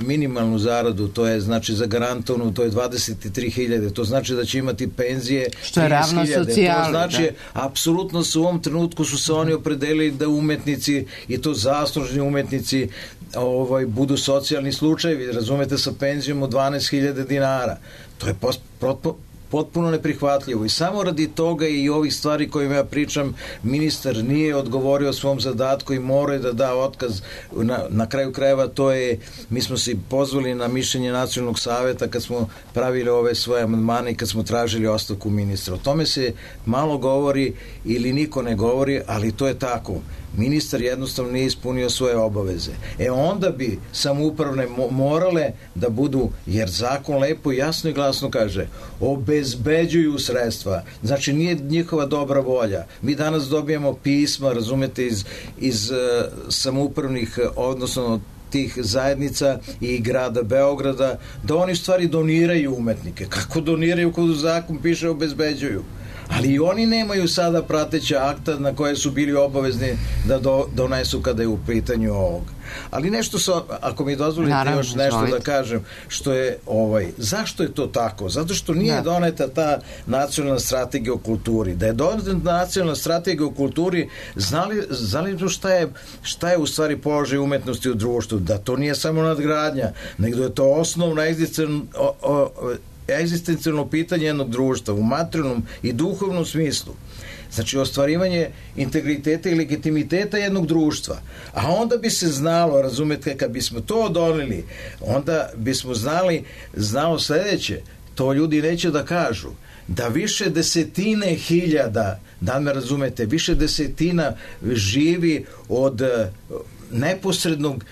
minimalnu zaradu, to je znači zagarantovano, to je 23.000, to znači da će imati penzije 30.000, to znači apsolutno u ovom trenutku su se oni opredelili da umetnici, i to zaslužni umetnici, budu socijalni slučajevi, razumete, sa penzijom od 12.000 dinara. To je potpuno neprihvatljivo i samo radi toga i ovih stvari kojima ja pričam, ministar nije odgovorio svom zadatku i mora da da otkaz. Na kraju krajeva to je, mi smo se pozvali na mišljenje Nacionalnog saveta kad smo pravili ove svoje amandmane i kad smo tražili ostavku ministra. O tome se malo govori ili niko ne govori, ali to je tako. Ministar jednostavno nije ispunio svoje obaveze. Onda bi samoupravne morale da budu, jer zakon lepo, jasno i glasno kaže, obezbeđuju sredstva. Znači nije njihova dobra volja. Mi danas dobijamo pisma, razumete, iz samoupravnih, odnosno tih zajednica i grada Beograda, da oni stvari doniraju umetnike. Kako doniraju kada zakon piše obezbeđuju? Ali i oni nemaju sada prateća akta na koje su bili obavezni da donesu kada je u pitanju ovog. Ali nešto, ako mi dozvolite još nešto da kažem, što je zašto je to tako? Zato što nije doneta ta nacionalna strategija o kulturi. Da je doneta nacionalna strategija o kulturi, znali šta je u stvari položaj umetnosti u društvu? Da to nije samo nadgradnja, nego je to osnovna egzistencijalno pitanje jednog društva u materijalnom i duhovnom smislu. Znači ostvarivanje integriteta i legitimiteta jednog društva. A onda bi se znalo, razumete, kad bismo to doneli, onda bismo znalo sledeće, to ljudi neće da kažu, da više desetine hiljada, da me razumete, više desetina živi od neposrednog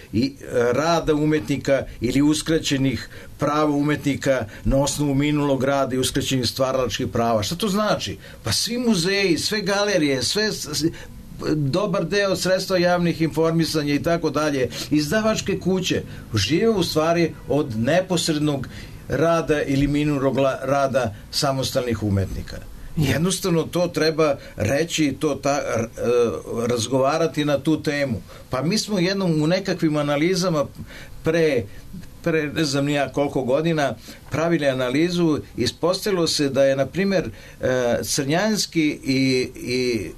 rada umetnika ili uskraćenih prava umetnika na osnovu minulog rada i uskraćenih stvaralačkih prava. Šta to znači? Pa svi muzeji, sve galerije, sve dobar deo sredstva javnih informisanja i tako dalje, izdavačke kuće žive u stvari od neposrednog rada ili minulog rada samostalnih umetnika. Jednostavno to treba reći i razgovarati na tu temu. Pa mi smo jednom u nekakvim analizama pre ne znam nija koliko godina pravili analizu, ispostavilo se da je na primjer Crnjanski i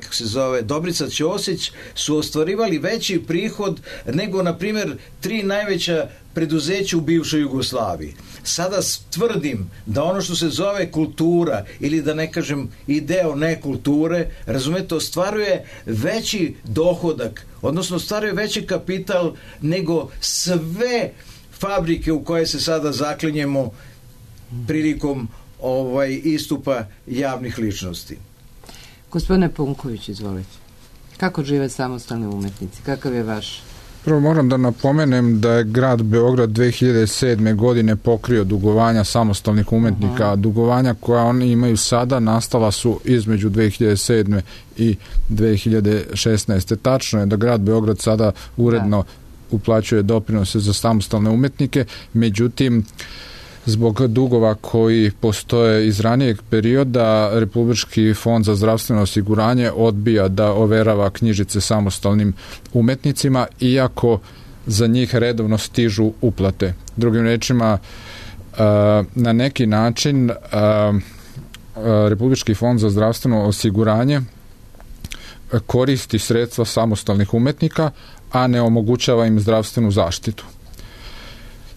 kako se zove Dobrica Ćosić su ostvarivali veći prihod nego na primjer 3 najveća preduzeća u bivšoj Jugoslaviji. Sada tvrdim da ono što se zove kultura ili da ne kažem i deo nekulture, razumete, ostvaruje veći dohodak, odnosno ostvaruje veći kapital nego sve fabrike u koje se sada zaklinjemo prilikom istupa javnih ličnosti. Gospodine Punković, izvolite. Kako žive samostalni umetnici? Kakav je vaš? Prvo moram da napomenem da je grad Beograd 2007. godine pokrio dugovanja samostalnih umetnika. Dugovanja koja oni imaju sada nastala su između 2007. i 2016. Tačno je da grad Beograd sada uredno uplaćuje doprinose za samostalne umetnike, međutim zbog dugova koji postoje iz ranijeg perioda, Republički fond za zdravstveno osiguranje odbija da overava knjižice samostalnim umetnicima, iako za njih redovno stižu uplate. Drugim rečima, na neki način Republički fond za zdravstveno osiguranje koristi sredstva samostalnih umetnika, a ne omogućava im zdravstvenu zaštitu.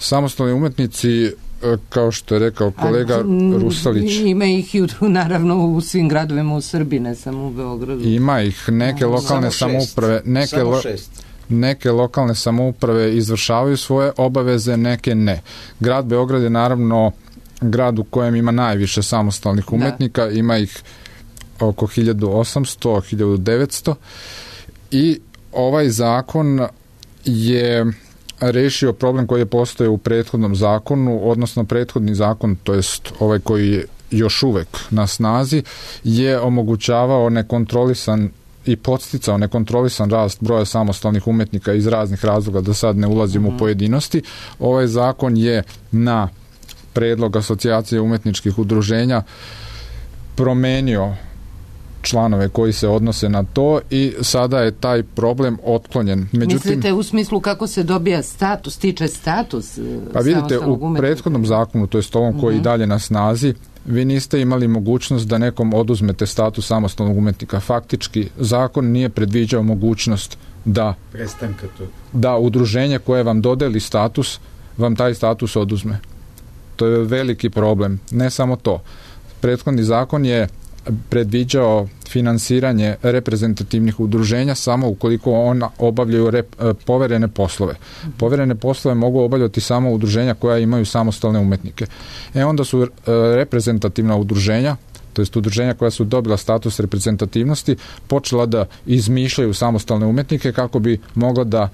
Samostalni umetnici, kao što je rekao kolega Rusalić. Ima ih i naravno u svim gradovima u Srbiji, ne samo u Beogradu. Ima ih, neke lokalne samouprave, neke lokalne samouprave izvršavaju svoje obaveze, neke ne. Grad Beograd je naravno grad u kojem ima najviše samostalnih umetnika, ima ih oko 1800, 1900 i ovaj zakon je rešio problem koji je postojao u prethodnom zakonu, odnosno prethodni zakon, to jest ovaj koji je još uvek na snazi, je omogućavao nekontrolisan i podsticao nekontrolisan rast broja samostalnih umetnika iz raznih razloga, da sad ne ulazimo u pojedinosti. Ovaj zakon je na predlog Asocijacije umetničkih udruženja promenio članove koji se odnose na to i sada je taj problem otklonjen. Mislite u smislu kako se dobija status, stiče status? Pa vidite, u prethodnom zakonu, to jest ovom koji dalje na snazi, vi niste imali mogućnost da nekom oduzmete status samostalnog umetnika. Faktički, zakon nije predviđao mogućnost da udruženje koje vam dodeli status, vam taj status oduzme. To je veliki problem. Ne samo to. Prethodni zakon je predviđao finansiranje reprezentativnih udruženja samo ukoliko ona obavljaju poverene poslove. Poverene poslove mogu obavljati samo udruženja koja imaju samostalne umetnike. Onda su reprezentativna udruženja, to jest udruženja koja su dobila status reprezentativnosti, počela da izmišljaju samostalne umetnike kako bi mogla da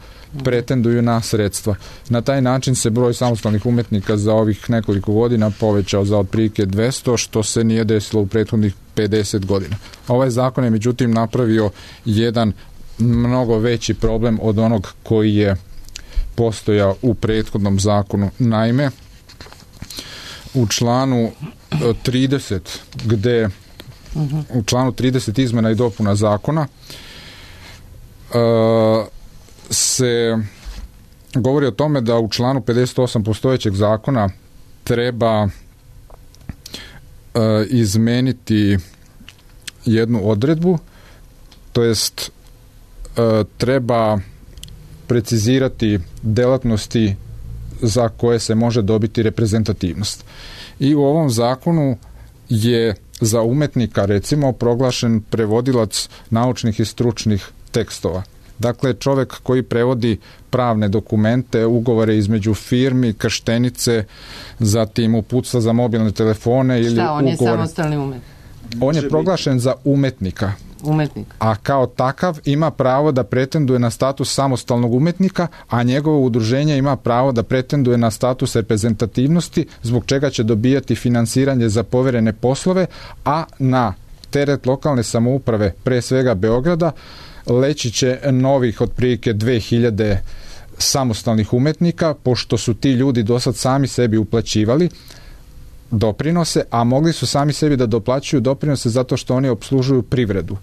pretenduju na sredstva. Na taj način se broj samostalnih umetnika za ovih nekoliko godina povećao za otprilike 200, što se nije desilo u prethodnih 50 godina. Ovaj zakon je međutim napravio jedan mnogo veći problem od onog koji je postojao u prethodnom zakonu. Naime, u članu 30, gde u članu 30 izmena i dopuna zakona se govori o tome da u članu 58 postojećeg zakona treba izmeniti jednu odredbu, to jest treba precizirati delatnosti za koje se može dobiti reprezentativnost. I u ovom zakonu je za umetnika recimo proglašen prevodilac naučnih i stručnih tekstova. Dakle, čovek koji prevodi pravne dokumente, ugovore između firmi, krštenice, zatim uputstva za mobilne telefone ili ugovore. Šta, on je samostalni umetnik? On je proglašen za umetnika. A kao takav ima pravo da pretenduje na status samostalnog umetnika, a njegovo udruženje ima pravo da pretenduje na status reprezentativnosti, zbog čega će dobijati finansiranje za poverene poslove, a na teret lokalne samouprave, pre svega Beograda, leći će novih otprilike 2000 samostalnih umetnika, pošto su ti ljudi dosad sami sebi uplaćivali doprinose, a mogli su sami sebi da doplaćuju doprinose zato što oni opslužuju privredu.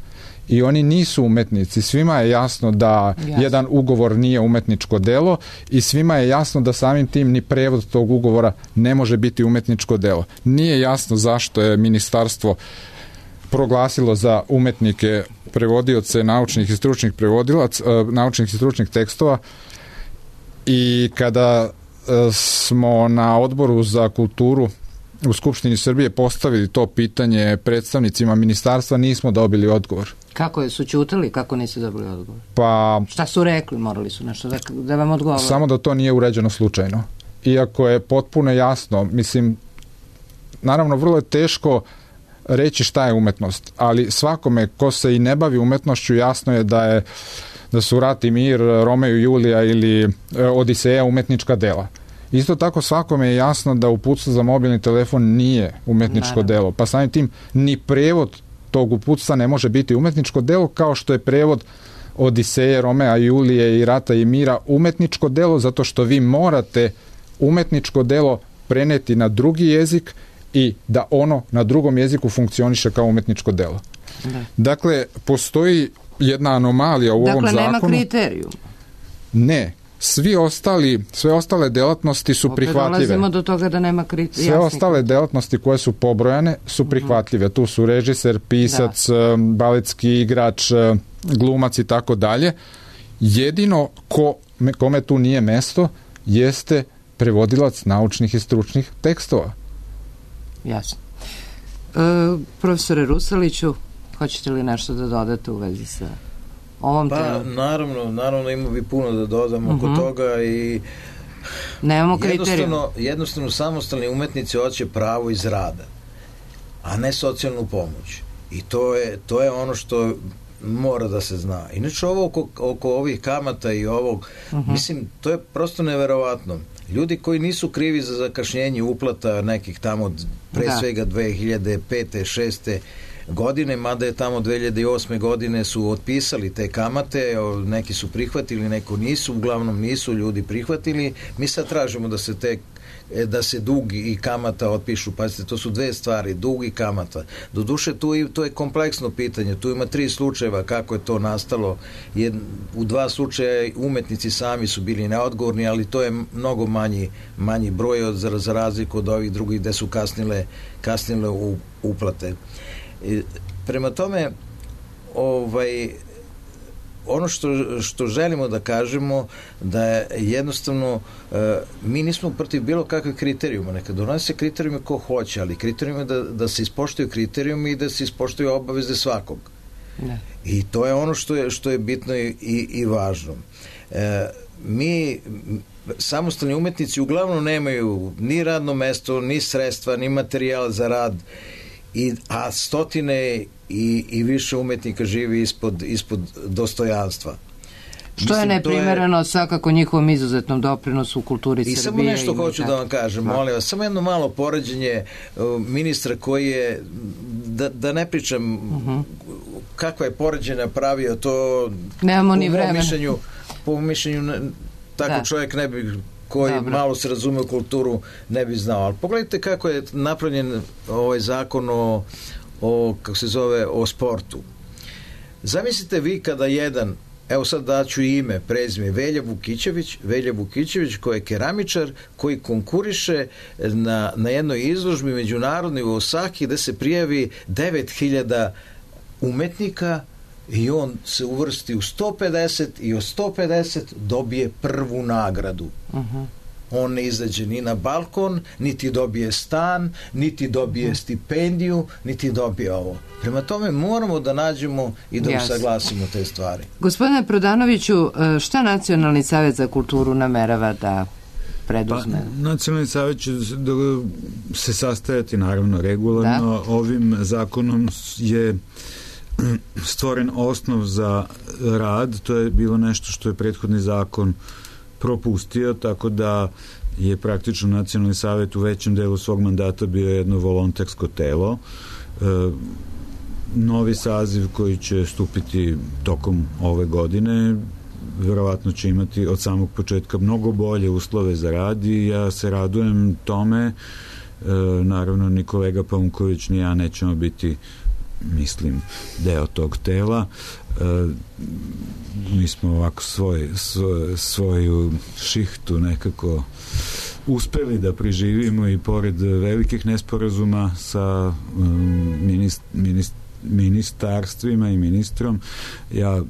I oni nisu umetnici. Svima je jasno da jedan ugovor nije umetničko delo i svima je jasno da samim tim ni prevod tog ugovora ne može biti umetničko delo. Nije jasno zašto je ministarstvo proglasilo za umetnike prevodioce naučnih i stručnih naučnih i stručnih tekstova, i kada smo na Odboru za kulturu u Skupštini Srbije postavili to pitanje predstavnicima ministarstva, nismo dobili odgovor. Kako su ćutali, kako nisu dobili odgovor? Pa... Šta su rekli, morali su nešto da vam odgovore? Samo da to nije uređeno slučajno. Iako je potpuno jasno, mislim, naravno vrlo je teško reći šta je umetnost, ali svakome ko se i ne bavi umetnošću jasno je da su Rat i mir, Romeo i Julija ili Odiseja umetnička dela. Isto tako svakome je jasno da uputstvo za mobilni telefon nije umetničko delo, pa samim tim ni prevod tog uputstva ne može biti umetničko delo, kao što je prevod Odiseje, Romea i Julije i Rata i mira umetničko delo, zato što vi morate umetničko delo preneti na drugi jezik i da ono na drugom jeziku funkcioniše kao umetničko delo. Dakle, postoji jedna anomalija u ovom zakonu. Dakle, nema kriterijuma. Ne. Sve ostale delatnosti su prihvatljive. Dolazimo do toga da nema kriterijuma. Sve ostale delatnosti koje su pobrojane su prihvatljive. Tu su režiser, pisac, baletski igrač, glumac i tako dalje. Jedino kome tu nije mesto jeste prevodilac naučnih i stručnih tekstova. Jasno. Profesore Rusaliću, hoćete li nešto da dodate u vezi sa ovom temom? Naravno ima bi puno da dodam oko toga i nemamo kriterijuma. Jednostavno samostalni umetnici hoće pravo iz rada, a ne socijalnu pomoć. I to je ono što mora da se zna. Inače ovo oko ovih kamata i ovog, mislim, to je prosto neverovatno. Ljudi koji nisu krivi za zakašnjenje uplata nekih tamo pre svega 2005. 2006. godine, mada je tamo 2008. godine su otpisali te kamate, neki su prihvatili, neko nisu, uglavnom nisu ljudi prihvatili. Mi sad tražimo da se dug i kamata otpišu. Pazite, to su dve stvari, dug i kamata. Doduše, to je kompleksno pitanje. Tu ima 3 slučajeva kako je to nastalo. U 2 slučaja umetnici sami su bili neodgovorni, ali to je mnogo manji broj za razliku od ovih drugih gde su kasnile uplate. Prema tome, ono što želimo da kažemo da je jednostavno mi nismo protiv bilo kakvih kriterijuma, neka donose kriterijume ko hoće, ali kriterijum je da se ispoštuju kriterijumi i da se ispoštuju obaveze svakog. Ne. I to je ono što je bitno i važno. Mi samostalni umetnici uglavnom nemaju ni radno mesto, ni sredstva, ni materijal za rad, a stotine i više umetnika živi ispod dostojanstva. Što je neprimereno svakako njihovom izuzetnom doprinosu u kulturi Srbije. I samo nešto hoću da vam kažem, molim vas, samo jedno malo poređenje ministra koji je, da ne pričam kakva je poređenja pravio, to nemamo ni vremena. Po mišljenju tako čovjek ne bi, koji malo se razume u kulturu, ne bi znao. Ali pogledajte kako je napravljen ovaj zakon kako se zove, o sportu. Zamislite vi kada jedan, evo sad daću ime, prezime, Velja Vukićević koji je keramičar, koji konkuriše na jednoj izložbi međunarodnoj u Osaki gde se prijavi 9000 umetnika i on se uvrsti u 150 i od 150 dobije prvu nagradu. On ne izađe ni na balkon, niti dobije stan, niti dobije stipendiju, niti dobije ovo. Prema tome moramo da nađemo i da usaglasimo te stvari. Gospodine Prodanoviću, šta Nacionalni savjet za kulturu namerava da preduzme? Nacionalni savjet će se sastajati naravno regularno. Ovim zakonom je stvoren osnov za rad, to je bilo nešto što je prethodni zakon propustio, tako da je praktično Nacionalni savjet u većem delu svog mandata bio jedno volontersko telo. Novi saziv koji će stupiti tokom ove godine verovatno će imati od samog početka mnogo bolje uslove za rad i ja se radujem tome. Naravno ni kolega Paunković ni ja nećemo biti, mislim, deo tog tela. Mi smo ovako svoju šihtu nekako uspeli da preživimo i pored velikih nesporazuma sa ministarstvima i ministrom. Ja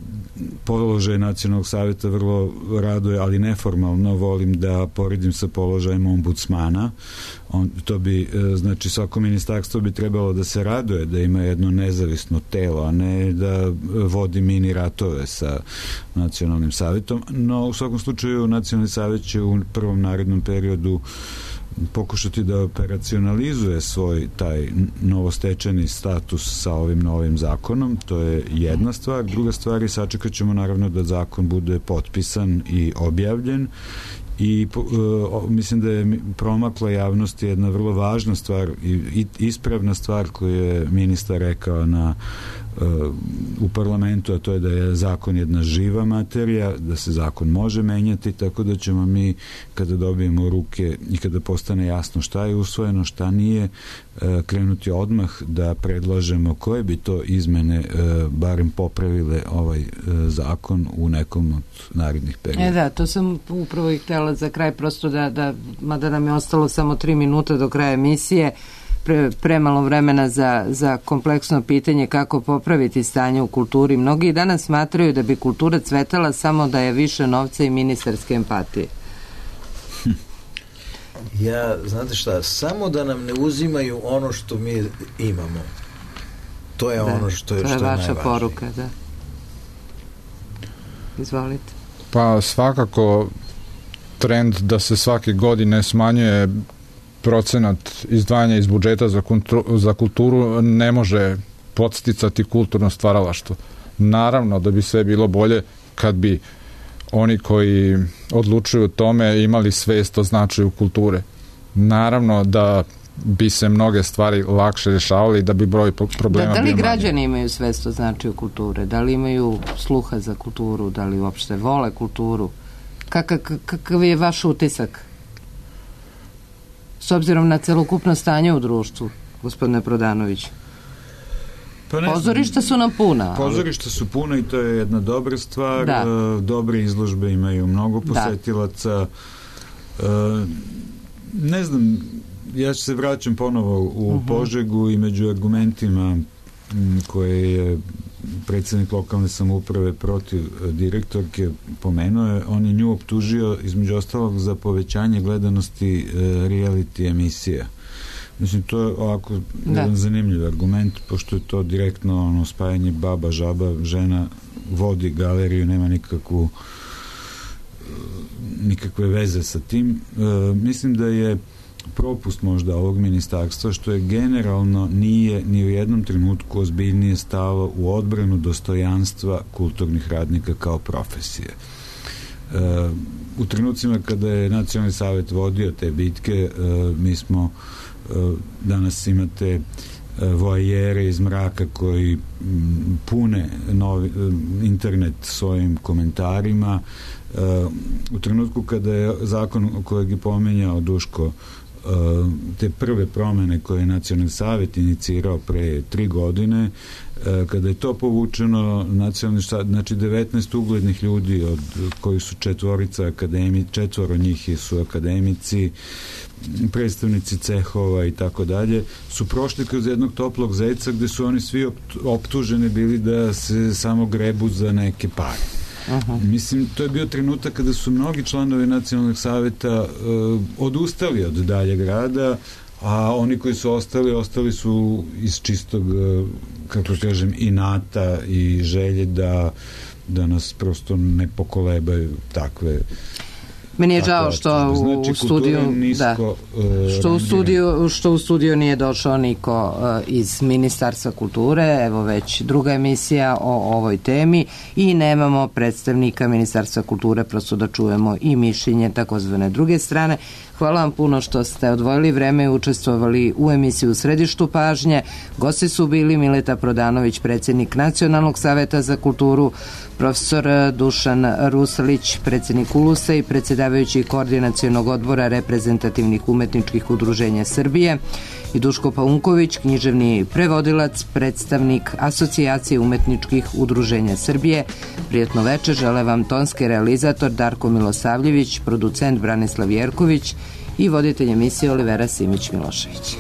položaj Nacionalnog savjeta vrlo raduje, ali neformalno volim da poredim sa položajem ombudsmana. To bi, znači svako ministarstvo bi trebalo da se raduje da ima jedno nezavisno telo, a ne da vodi mini ratove sa Nacionalnim savjetom. No, u svakom slučaju Nacionalni savjet će u prvom narednom periodu pokušati da operacionalizuje svoj taj novostečeni status sa ovim novim zakonom. To je jedna stvar. Druga stvar je, sačekat ćemo naravno da zakon bude potpisan i objavljen i mislim da je promakla javnosti jedna vrlo važna stvar i ispravna stvar koju je ministar rekao u parlamentu, a to je da je zakon jedna živa materija, da se zakon može menjati, tako da ćemo mi kada dobijemo u ruke i kada postane jasno šta je usvojeno, šta nije, krenuti odmah da predlažemo koje bi to izmene barem popravile ovaj zakon u nekom od narednih perioda. Da, to sam upravo i htjela za kraj, prosto mada nam je ostalo samo 3 minuta do kraja emisije, premalo vremena za kompleksno pitanje kako popraviti stanje u kulturi. Mnogi danas smatraju da bi kultura cvetala samo da je više novca i ministarske empatije. znate šta, samo da nam ne uzimaju ono što mi imamo. To je ono što je najvažnije. To je vaša poruka, da. Izvolite. Pa svakako trend da se svake godine smanjuje procenat izdvajanja iz budžeta za kulturu ne može podsticati kulturno stvaralaštvo. Naravno da bi sve bilo bolje kad bi oni koji odlučuju o tome imali svest o značaju kulture. Naravno da bi se mnoge stvari lakše rješavali i da bi broj problema bio Da li manje. građani imaju svest o značaju kulture? Da li imaju sluha za kulturu? Da li uopšte vole kulturu? Kakav je vaš utisak? S obzirom na celokupno stanje u društvu, gospodine Prodanović. Pozorišta su nam puna. Pozorišta su puna i to je jedna dobra stvar. Da. Dobre izložbe imaju mnogo posetilaca. Ne znam, ja se vraćam ponovo u Požegu i među argumentima koje je predsjednik lokalne samouprave protiv direktorke pomenuo, on je nju optužio između ostalog za povećanje gledanosti reality emisija. Mislim, to je ovako jedan zanimljiv argument, pošto je to direktno spajanje baba, žaba, žena vodi galeriju, nema nikakve veze sa tim. Mislim da je propust možda ovog ministarstva što je generalno nije ni u jednom trenutku ozbiljnije stalo u odbranu dostojanstva kulturnih radnika kao profesije. U trenucima kada je Nacionalni savjet vodio te bitke, mi smo danas imate voajere iz mraka koji pune internet svojim komentarima. U trenutku kada je zakon kojeg je pomenjao Duško, te prve promene koje je Nacionalni savjet inicirao pre 3 godine, kada je to povučeno, znači 19 uglednih ljudi od koji su četvoro njih su akademici, predstavnici cehova i tako dalje, su prošli kroz jednog toplog zeca gde su oni svi optuženi bili da se samo grebu za neke pare. Mislim, to je bio trenutak kada su mnogi članovi Nacionalnog savjeta odustali od daljeg rada, a oni koji su ostali su iz čistog, kako kažem, inata i želje da nas prosto ne pokolebaju takve. Meni je žao što u studiju nije došao niko iz Ministarstva kulture, evo već druga emisija o ovoj temi i nemamo predstavnika Ministarstva kulture, prosto da čujemo i mišljenje takozvane druge strane. Hvala vam puno što ste odvojili vreme i učestvovali u emisiji U središtu pažnje. Gosti su bili Mileta Prodanović, predsjednik Nacionalnog savjeta za kulturu, profesor Dušan Ruslić, predsjednik ULUS-a i predsjedavajući koordinacionog odbora reprezentativnih umetničkih udruženja Srbije, i Duško Paunković, književni prevodilac, predstavnik Asocijacije umetničkih udruženja Srbije. Prijatno večer žele vam tonski realizator Darko Milosavljević, producent Branislav Jerković i voditelj emisije Olivera Simić-Milošević.